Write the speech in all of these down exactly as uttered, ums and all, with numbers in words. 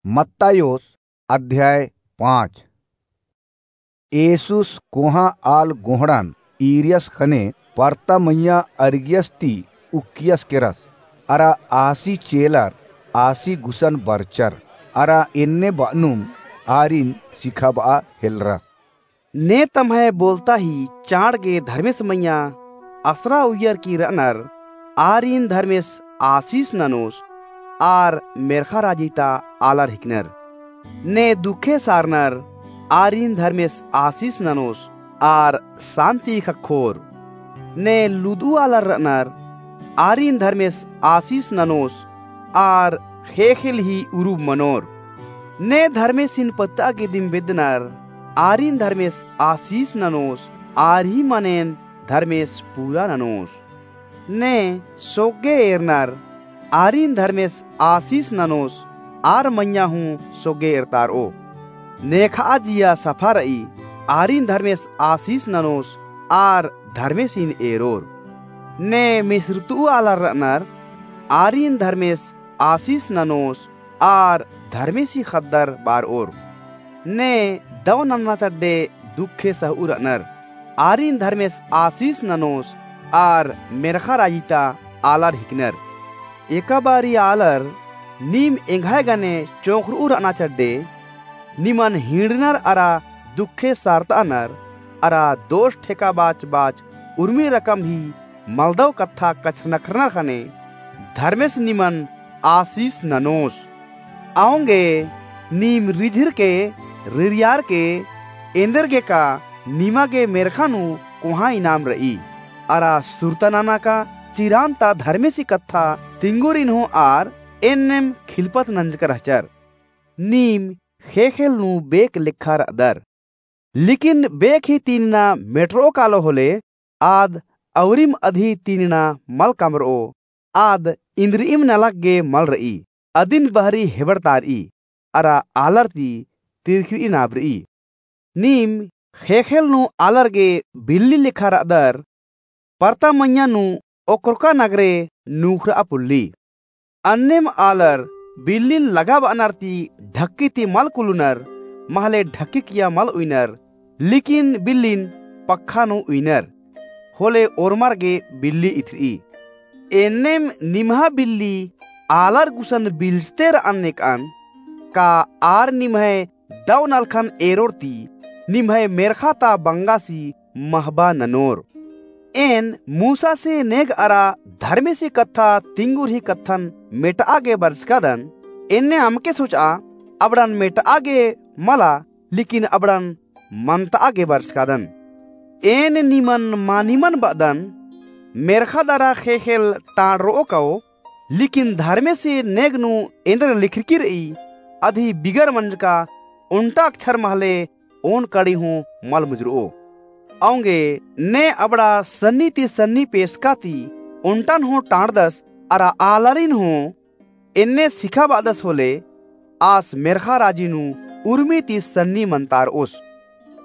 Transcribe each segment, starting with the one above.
मत्तायोस अध्याय पाँच। येसुस कोहाँ आल गोहड़न ईरियस ख़ने परता मइय्याँ अरगियस ती उक्कियस केरस, अरा आसी चेलर आसी गुसन बरचर, अरा एन्ने बअनुम आरिन सिखाबआ हेलरस। ने तम्है बोलता ही चाड़ गे धर्मेस मइय्याँ असरा उइयर की रअनर, आरिन धर्मेस आसीस ननोस, आर मेर्ख़ा राजी ता आलर हिकनर। ने दुखे सारनर, आरिन धर्मेस आसीस ननोस, आर सान्ति ख़क्खोर। ने लुदु आलर रअनर, आरिन धर्मेस आसीस ननोस, आर ख़ेख़ेल ही उरुब मनोर। ने धर्मेसिन पत्तआ गे दिम बेद्दनर, आरिन धर्मेस आसीस ननोस, आर ही मनेन धर्मेस पूरा ननोस। ने सोग्गे एरनर, आरिन धर्मेस आसीस ननोस, आर मइय्याँ हूँ सोग्गे एरतारओ। नेखआ जिया सफा रई, आरिन धर्मेस आसीस ननोस, आर धर्मेसिन एरोर। ने मिस्रतु आलर रअनर, आरिन धर्मेस आसीस ननोस, आर धर्मेसी ख़द्दर बारओर। ने दव नन्ना चड्डे दुखे सहउ रअनर, आरिन धर्मेस आसीस ननोस, आर मेर्ख़ा राजी ता आलर हिकनर। एका बारी आलर नीम एंग्है गने चोंख़रउ रअना चड्डे, निमन हिंड़नर अरा दुखे सारतअनर, अरा दोष ठेका बाच बाच उर्मी रकम ही मलदव कत्था कछनखरनर ख़ने, धर्मेस निमन आसीस ननोस। औंगे नीम रिझिर के, रिरियार के, एन्देर गे का निमा गे मेर्ख़ा नू कोहाँ इनाम रई। अरा सुरता नना का चिरान ता धर्मेसी कत्था तिंगुरिन हूँ आर एन्नेम खिलपत नंजकर रहचर। नीम ख़ेख़ेल नू बेक लेखा रअदर। लेकिन बेक ही तीनिना मेटरओ कालो होले, आद अउरिम अदी तीनिना मल कमरओ, आद इन्द्रिइम नलख गे मल रई, अदिन बहरी हेबड़तारई, अरा आलर ती तिरखिरई नाबरई। नीम ख़ेख़ेल नू आलर गे बिल्ली लेखा रअदर, परता मइय्याँ नू ओक्रोका नगरे नूख़रआ पुल्ली। अन्नेम आलर बिल्लिन लगा बअनर ती ढक्की ती मल कुलुनर, महले ढक्की किया मल उइनर, लेकिन बिल्लिन पक्खा नू उइनर, होले ओर्मर गे बिल्ली इथरई। एन्नेम निम्है बिल्ली आलर गुसन बिल्चते रअन नेकअन, का आर निम्है दव नलखन एरोर ती निम्है मेर्ख़ा ता बंगासी महबा ननोर। एन मूसासी नेग अरा धर्मेसी कत्था तिंगुरही कत्थन मेटआ गे बरचकादन, एन्ने अमके सोचआ अबड़न मेटआ गे मला, लेकिन अबड़न मनतआ गे बरचकादन। एन निमन मानिमन बअदन, मेर्ख़ा दरा ख़ेख़ेल टाँड़रओ काओ, लेकिन धर्मेसी नेग नू एन्देर लिखरकी रई, अदी बिगर मंजका ओन्टा अक्षर महले ओन कड़ी हूँ मल मुजरओ। औंगे ने अबड़ा सन्नी ती सन्नी पेसका ती ओन्टन हूँ टाँड़दस अरा आलारिन हूँ एन्ने सिखाबअदस होले, आस मेर्ख़ा राजी नू उर्मी ती सन्नी मनतारओस।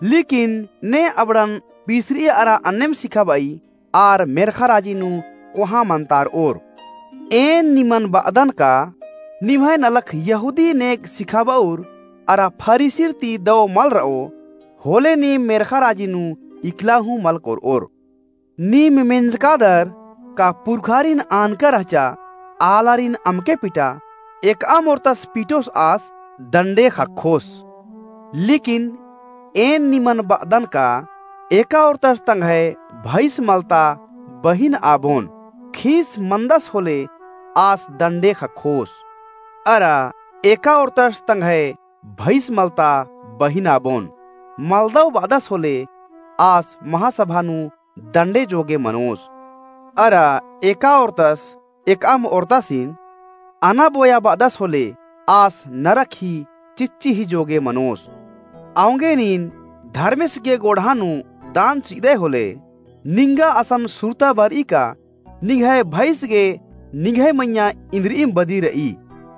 लेकिन ने अबड़न पिसरी अरा अन्नेम सिखाबई, आर मेर्ख़ा राजी नू कोहाँ मनतारओर। एन निमन बअदन का, निम्है नलख यहूदी नेग सिखाबउर अरा फरीसिर ती दव मल रओ, होले नीम मेर्ख़ा राजी नू इकला हूँ मल कोरओर। नीम मेंजकादर का पुरखारिन आनका रहचा, आलारिन अमके पिटा, एकअम ओर्तस पिटोस आस दंडे ख़क्खोस। लेकिन एन निमन बअदन का, एका ओर्तस तंग्है भैस मलता बहिन आबोन, खीस मनदस होले आस दंडे ख़क्खोस। अरा एका ओर्तस तंग्है भैस मलता बहिन आबोन, मलदव बअदस होले आस महासभा नू दंडे जोगे मनोस। अरा एका ओर्तस एकअम ओर्तासिन अना बोया बअदस होले आस नरक ही चिच्ची ही जोगे मनोस। औंगे नीन धर्मेस गे गोड़हा नू दान चिअदय होले, निंगा असन सुरता बरई का निंग्है भैस गे निंग्है मइय्याँ इन्द्रिइम बदी रई।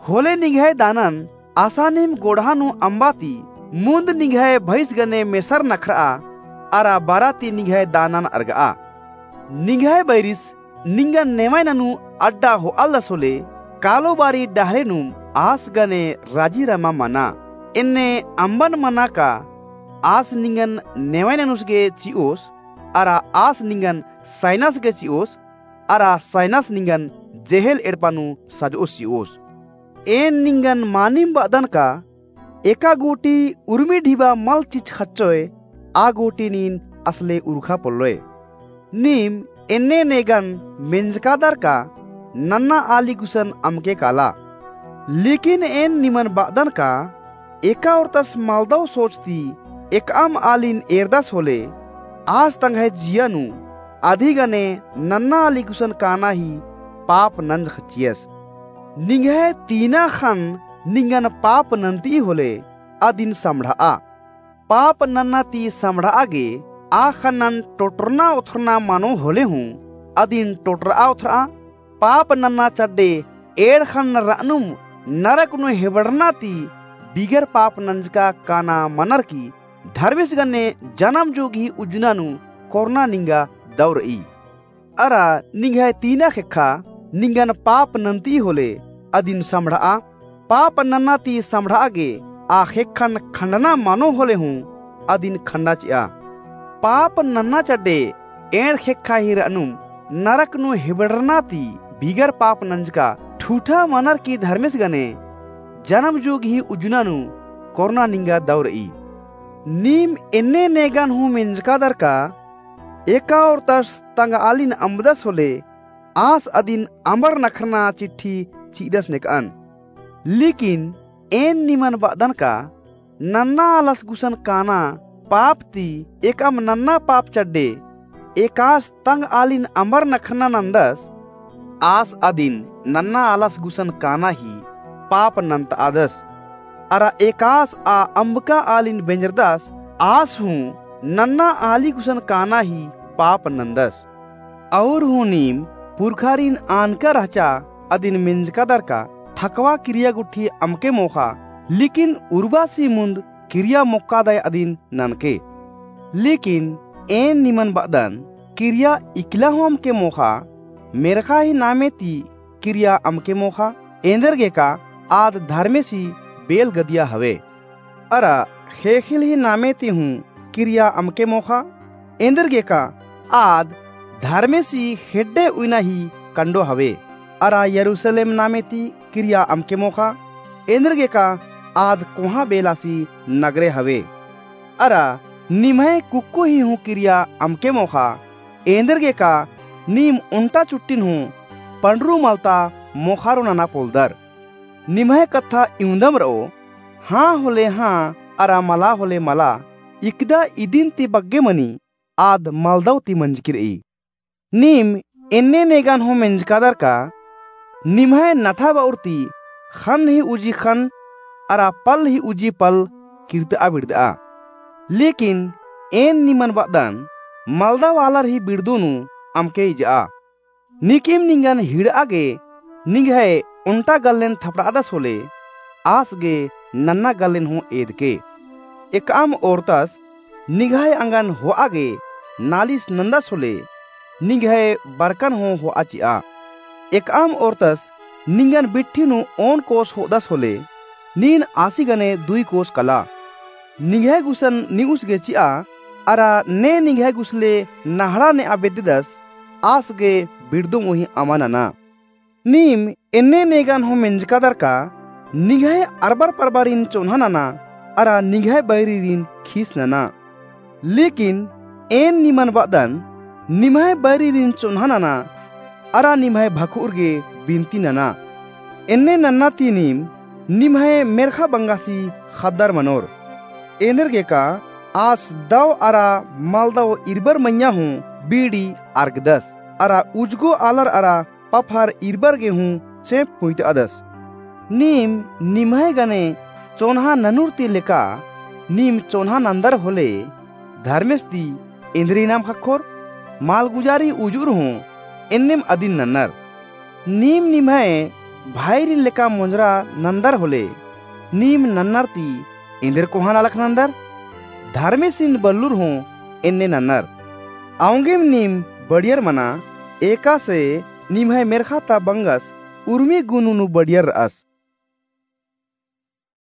होले निंग्है दानन असानिम गोड़हा नू अम्बा ती मुन्द निंग्है भैस गने मेसर नखरआ, अरा बरा ती निंग्है दानन अरगआ। निंग्है बैरिस निंगन नेवय ननू अड्डा होआलदस होले, कालो बारी डहरेनुम आस गने राजी रमा मना। एन्ने अम्बन मना का आस निंगन नेवै ननुस गे चिओस, अरा आस निंगन सैनास गे चिओस, अरा सैनास निंगन जेहेल एड़पा नू सजओस चिओस। एन निंगन मानिम बअदन का एका गूटी उर्मी ढिबा मल चिच्चख़चोय, आ गूटी नीन असले उरखा पोल्लोय। नीम एन्ने नेगन मेंजकादर का नन्ना आली गुसन अमके काला। लेकिन एन निमन बअदन का एका ओर्तस मलदव सोच ती एकअम आलिन एरदस होले, आस तंग्है जिया नू अदी गने नन्ना आली गुसन काना ही पाप नंजख़ चियस। निंग्है तीना ख़न्न निंगन पाप नन्ती होले, अदिन सम्ड़'आ। पाप नन्ना ती सम्ड़'आ गे आ ख़न्नन टोटरना ओथरना मनो होले हूँ, अदिन टोटर'आ ओथर'आ। पाप नन्ना चड्डे एंड़ ख़न्न र'अनुम नरक नू हेबड़रना ती बिगर पाप नंजका काना मनर की धर्मेस गने जनम जोगही उज्जना नू कोरना निंगा दौ र'ई। अरा निंग्है तीना ख़ेक्खा निंगन पाप नन्ती होले, अदिन सम्ड़'आ। पाप नन्ना ती सम्ड़'आ गे आ ख़ेक्खन खंडना मनो होले हूँ, अदिन खंडा चि'आ। पाप नन्ना चड्डे एंड़ ख़ेक्खा ही र'अनुम नरक नू हेबड़रना ती बिगर पाप नंजका ठूठा मनर की धर्मेस गने जनम जोगही उज्जना नू कोरना निंगा दौ र'ई। नीम एन्ने नेगन हूँ मेंजकादर का एका ओर्तस तंग आलिन अम्बदस होले, आस अदिन अमर नखरना चिट्ठी चि'अदस नेक'अन। लेकिन एन निमन बअदन का नन्ना आलस गुसन काना पाप ती एकअम नन्ना पाप चड्डे एकास तंग आलिन अमर नखरना नन्दस, आस अदिन नन्ना आलस गुसन काना ही पाप नन्त'अदस। अरा एकास आ अम्बका आलिन बेंजरदस, आस हूँ नन्ना आली गुसन काना ही पाप नन्दस। और हूँ नीम पुरखारिन आनका रहचा अदिन मेंजकादर का ठकवा किरिया गुट्ठी अमके मोख़ा, लेकिन उर्बासी मुन्द किरिया मोक्कादय अदिन ननके। लेकिन एन निमन बअदन, किरिया इकला हूँ अमके मोख़ा, मेर्ख़ा ही नामे ती किरिया अमके मोख़ा, एन्देरगेका आद धर्मेसी बेल गदिया हवे। अरा ख़ेख़ेल ही नामे ती हूँ किरिया अमके मोख़ा, एन्देरगेका आद धर्मेसी ख़ेड्डे उइना ही कंडो हवे। अरा यरूसलेम नामे ती किरिया अमके मोख़ा, एन्देरगेका आद कोहाँ बेलासी नगरे हवे। अरा निम्है कुक्को ही हूँ किरिया अमके मोख़ा, एन्देरगेका नीम ओन्टा चुट्टिन हूँ पंडरू मलता मोख़ारो नना पोलदर। निम्है कत्था इवंदम र'ओ, हाँ होले हाँ, अरा मला होले मला, इकदा इदिन ती बग्गे मनी, आद मलदव ती मंजकी र'ई। नीम एन्ने नेगन हूँ मेंजकादर का, निम्है नठा ब'उर ती ख़न्न ही उजी ख़न्न, अरा पल ही उजी पल किर्त'आ बिड़द'आ। लेकिन एन निमन बअदन, मलदव आलर ही बिड़दो नू अमके इज'आ। नीकिम निंगन हिड़'आ गे निंग्है ओन्टा गल्लेन थपड़'अदस होले, आस गे नन्ना गल्लेन हूँ एदके। एकअम ओर्तस निंग्है अंगन हो'आ गे नालिस नन्दस होले, निंग्है बरकन हूँ हो'आ चि'आ। एकअम ओर्तस निंगन बिट्ठी नू ओन कोस हो'अदस होले, नीन आसी गने दुई कोस कला। निंग्है गुसन नि'उस गे चि'आ, अरा ने निंग्है गुसले नहड़ा ने'आ बेद्ददस, आस गे बिड़दोम ओही अमा नना। नीम एन्ने नेगन हूँ मेंजकादर का, निंग्है अरबर परबारिन चोन्हा नना, अरा निंग्है बैरिरिन खीस नना। लेकिन एन निमन बअदन, निम्है बैरिरिन चोन्हा नना, अरा निम्है भखुर गे बिनती नना। एन्ने नन्ना ती नीम निम्है मेर्ख़ा बंगासी ख़द्दर मनोर। एन्देरगेका आस दव अरा मलदव इरबर मइय्याँ हूँ बीड़ी अरगदस, अरा उजगो आलर अरा पफर इरबर गे हूँ चेंप पुइत'अदस। नीम निम्है गने चोन्हा ननुर ती लेका नीम चोन्हा नन्दर होले, धर्मेस ती एन्देर इनाम ख़क्खोर? मालगुजारी उजुर हूँ एन्नेम अदिन नन्नर। नीम निम्है भाईरिन लेका मोंजरा नन्दर होले, नीम नन्नर ती एन्देर कोहाँ नलख नन्दर? धर्मेसिन बल्लुर हूँ एन्ने नन्नर। औंगेम नीम बड़ियर मना, एकासे निम्है मेर्ख़ा ता बंगस उर्मी गुनु नू बढ़ियर र'अस।